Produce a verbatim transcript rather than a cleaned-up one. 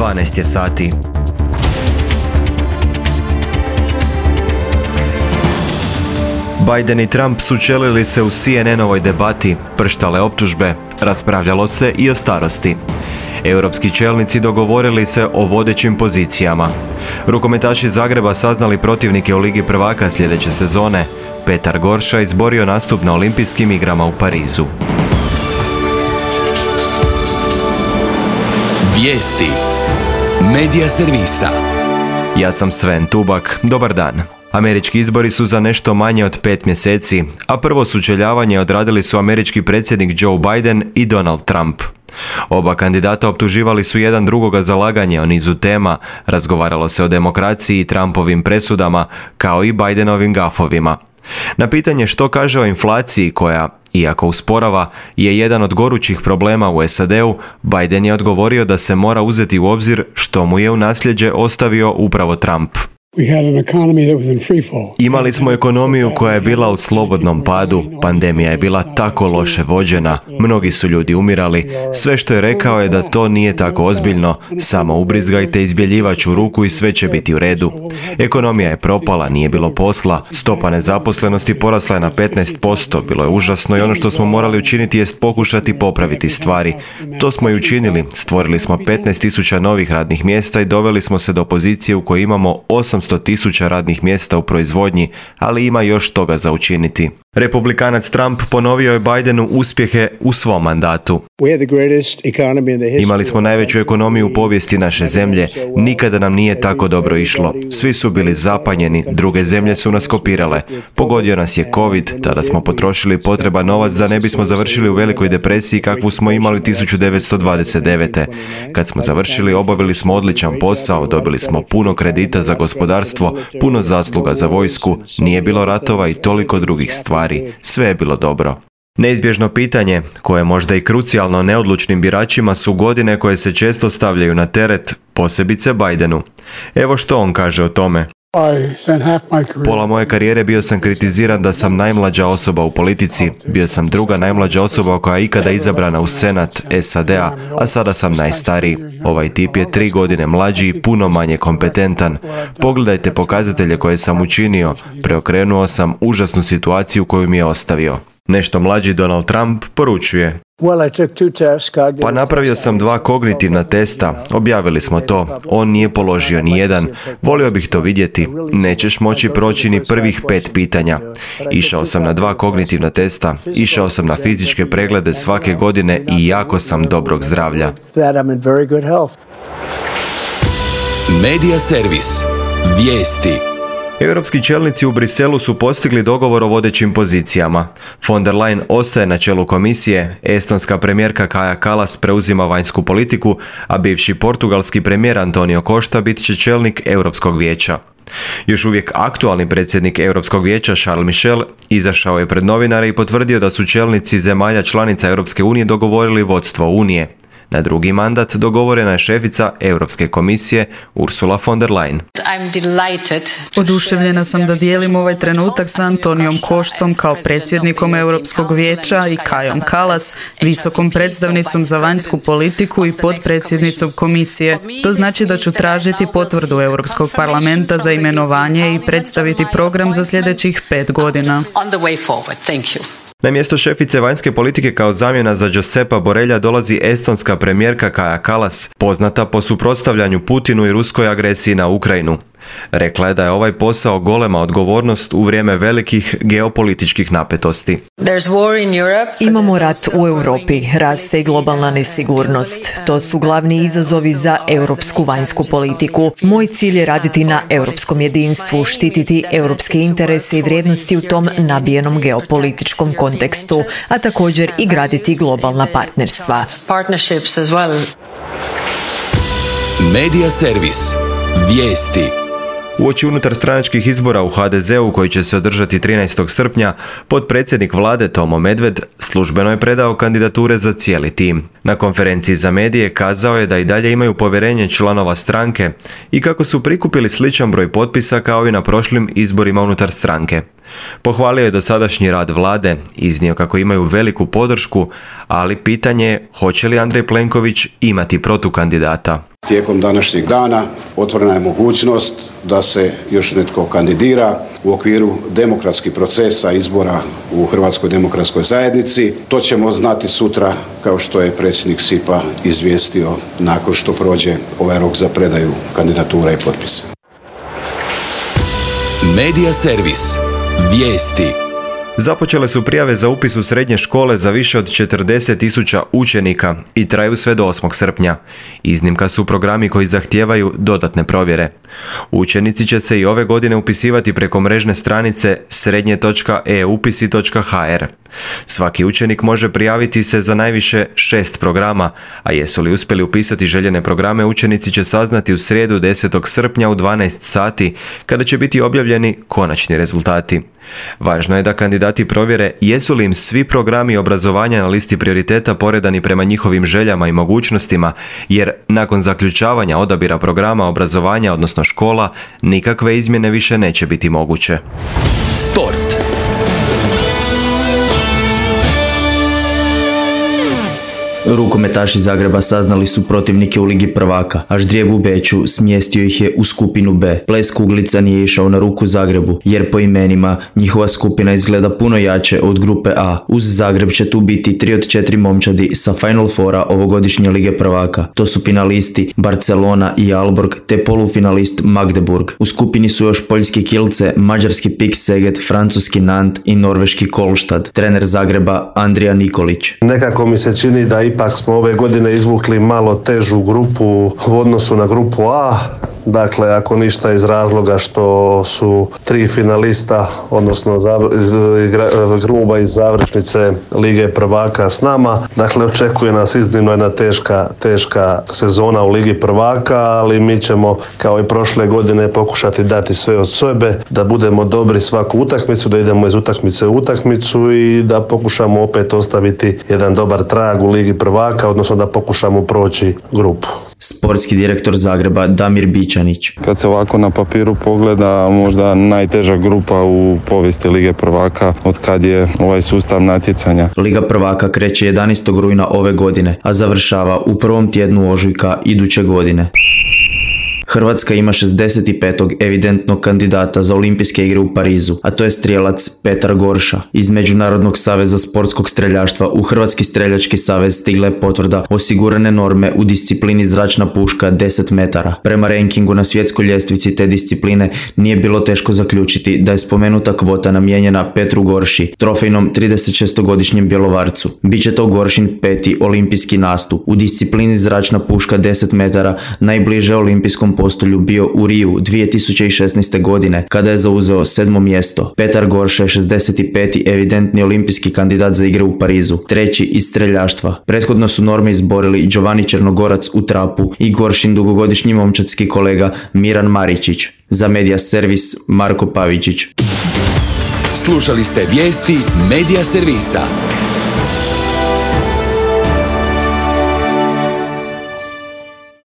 dvanaest je sati. Biden i Trump sučelili se u C N N-ovoj debati, prštale optužbe, raspravljalo se i o starosti. Europski čelnici dogovorili se o vodećim pozicijama. Rukometaši Zagreba saznali protivnike u Ligi prvaka sljedeće sezone. Petar Gorša izborio nastup na Olimpijskim igrama u Parizu. Vijesti Medija servisa. Ja sam Sven Tubak, dobar dan. Američki izbori su za nešto manje od pet mjeseci, a prvo sučeljavanje odradili su američki predsjednik Joe Biden i Donald Trump. Oba kandidata optuživali su jedan drugoga za laganje o nizu tema, razgovaralo se o demokraciji i Trumpovim presudama, kao i Bidenovim gafovima. Na pitanje što kaže o inflaciji koja, iako usporava, je jedan od gorućih problema u S A D-u, Biden je odgovorio da se mora uzeti u obzir što mu je u nasljeđe ostavio upravo Trump. Imali smo ekonomiju koja je bila u slobodnom padu, pandemija je bila tako loše vođena, mnogi su ljudi umirali, sve što je rekao je da to nije tako ozbiljno, samo ubrizgajte izbjeljivač u ruku i sve će biti u redu. Ekonomija je propala, nije bilo posla, stopa nezaposlenosti porasla je na petnaest posto, bilo je užasno i ono što smo morali učiniti jest pokušati popraviti stvari. To smo i učinili, stvorili smo petnaest tisuća novih radnih mjesta i doveli smo se do pozicije u kojoj imamo osamsto tisuća radnih mjesta u proizvodnji, ali ima još toga za učiniti. Republikanac Trump ponovio je Bidenu uspjehe u svom mandatu. Imali smo najveću ekonomiju u povijesti naše zemlje, nikada nam nije tako dobro išlo. Svi su bili zapanjeni, druge zemlje su nas kopirale. Pogodio nas je COVID, tada smo potrošili potreban novac da ne bismo završili u velikoj depresiji kakvu smo imali tisuću devetsto dvadeset devete. Kad smo završili, obavili smo odličan posao, dobili smo puno kredita za gospodarstvo, puno zasluga za vojsku, nije bilo ratova i toliko drugih stvari. Sve je bilo dobro. Neizbježno pitanje, koje je možda i krucijalno neodlučnim biračima, su godine koje se često stavljaju na teret, posebice Bidenu. Evo što on kaže o tome. Pola moje karijere bio sam kritiziran da sam najmlađa osoba u politici, bio sam druga najmlađa osoba koja je ikada izabrana u Senat S A D-a, a sada sam najstariji. Ovaj tip je tri godine mlađi i puno manje kompetentan. Pogledajte pokazatelje koje sam učinio, preokrenuo sam užasnu situaciju koju mi je ostavio. Nešto mlađi Donald Trump poručuje. Pa napravio sam dva kognitivna testa, objavili smo to, on nije položio ni jedan, volio bih to vidjeti, nećeš moći proći ni prvih pet pitanja. Išao sam na dva kognitivna testa, išao sam na fizičke preglede svake godine i jako sam dobrog zdravlja. Medija servis. Vijesti. Europski čelnici u Briselu su postigli dogovor o vodećim pozicijama. Von der Leyen ostaje na čelu komisije, estonska premijerka Kaja Kallas preuzima vanjsku politiku, a bivši portugalski premijer Antonio Costa bit će čelnik Europskog vijeća. Još uvijek aktualni predsjednik Europskog vijeća Charles Michel izašao je pred novinare i potvrdio da su čelnici zemalja članica Europske unije dogovorili vodstvo Unije. Na drugi mandat dogovorena je šefica Europske komisije Ursula von der Leyen. Oduševljena sam da dijelim ovaj trenutak sa Antonijom Costom kao predsjednikom Europskog vijeća i Kajom Kallas, visokom predstavnicom za vanjsku politiku i potpredsjednicom komisije. To znači da ću tražiti potvrdu Europskog parlamenta za imenovanje i predstaviti program za sljedećih pet godina. Na mjesto šefice vanjske politike kao zamjena za Josepa Borrella dolazi estonska premijerka Kaja Kallas, poznata po suprotstavljanju Putinu i ruskoj agresiji na Ukrajinu. Rekla je da je ovaj posao golema odgovornost u vrijeme velikih geopolitičkih napetosti. Imamo rat u Europi, raste i globalna nesigurnost. To su glavni izazovi za europsku vanjsku politiku. Moj cilj je raditi na europskom jedinstvu, štititi europske interese i vrijednosti u tom nabijenom geopolitičkom kontekstu, a također i graditi globalna partnerstva. Medija servis. Vijesti. Uoči unutarstranačkih izbora u H D Z-u koji će se održati trinaestog srpnja, potpredsjednik vlade Tomo Medved službeno je predao kandidature za cijeli tim. Na konferenciji za medije kazao je da i dalje imaju povjerenje članova stranke i kako su prikupili sličan broj potpisa kao i na prošlim izborima unutar stranke. Pohvalio je dosadašnji rad vlade, iznio kako imaju veliku podršku, ali pitanje je hoće li Andrej Plenković imati protukandidata. Tijekom današnjeg dana otvorena je mogućnost da se još netko kandidira u okviru demokratskih procesa izbora u Hrvatskoj demokratskoj zajednici. To ćemo znati sutra, kao što je predsjednik S I P-a izvijestio nakon što prođe ovaj rok za predaju kandidatura i potpisa. Medija servis. Vijesti. Započele su prijave za upis u srednje škole za više od četrdeset tisuća učenika i traju sve do osmog srpnja. Iznimka su programi koji zahtijevaju dodatne provjere. Učenici će se i ove godine upisivati preko mrežne stranice srednje točka e upisi točka ha er. Svaki učenik može prijaviti se za najviše šest programa, a jesu li uspjeli upisati željene programe, učenici će saznati u srijedu desetog srpnja u dvanaest sati, kada će biti objavljeni konačni rezultati. Važno je da kandidati provjere jesu li im svi programi obrazovanja na listi prioriteta poredani prema njihovim željama i mogućnostima, jer nakon zaključavanja odabira programa obrazovanja, odnosno škola, nikakve izmjene više neće biti moguće. Sport. Rukometaši Zagreba saznali su protivnike u Ligi prvaka, a ždrijeb u Beču smjestio ih je u skupinu B. Ples kuglica nije išao na ruku Zagrebu, jer po imenima njihova skupina izgleda puno jače od grupe A. Uz Zagreb će tu biti tri od četiri momčadi sa Final Fora ovogodišnje Lige prvaka. To su finalisti Barcelona i Aalborg te polufinalist Magdeburg. U skupini su još poljski Kielce, mađarski Pik Seget, francuski Nant i norveški Kolštad. Trener Zagreba Andrija Nikolić. Nekako mi se čini da ipak smo ove godine izvukli malo težu grupu u odnosu na grupu A. Dakle, ako ništa iz razloga što su tri finalista, odnosno gruba iz završnice Lige prvaka s nama. Dakle, očekuje nas iznimno jedna teška, teška sezona u Ligi prvaka, ali mi ćemo kao i prošle godine pokušati dati sve od sebe, da budemo dobri svaku utakmicu, da idemo iz utakmice u utakmicu i da pokušamo opet ostaviti jedan dobar trag u Ligi prvaka, odnosno da pokušamo proći grupu. Sportski direktor Zagreba Damir Bičanić. Kad se ovako na papiru pogleda, možda najteža grupa u povijesti Lige prvaka od kad je ovaj sustav natjecanja. Liga prvaka kreće jedanaestog rujna ove godine, a završava u prvom tjednu ožujka iduće godine. Hrvatska ima šezdeset petog evidentnog kandidata za olimpijske igre u Parizu, a to je strijelac Petar Gorša. Iz Međunarodnog saveza sportskog streljaštva u Hrvatski streljački savez stigla je potvrda osigurane norme u disciplini zračna puška deset metara. Prema rankingu na svjetskoj ljestvici te discipline nije bilo teško zaključiti da je spomenuta kvota namijenjena Petru Gorši, trofejnom tridesetšestogodišnjem Bjelovarcu. Biće to Goršin peti olimpijski nastup. U disciplini zračna puška deset metara najbliže olimpijskom postolju bio u Riju dvije tisuće šesnaeste. godine, kada je zauzeo sedmo mjesto. Petar Gorša je šezdeset peti evidentni olimpijski kandidat za igre u Parizu, treći iz streljaštva. Prethodno su norme izborili Giovanni Črnogorac u trapu i Goršin dugogodišnji momčadski kolega Miran Maričić. Za Medija servis Marko Pavičić. Slušali ste vijesti Medija servisa.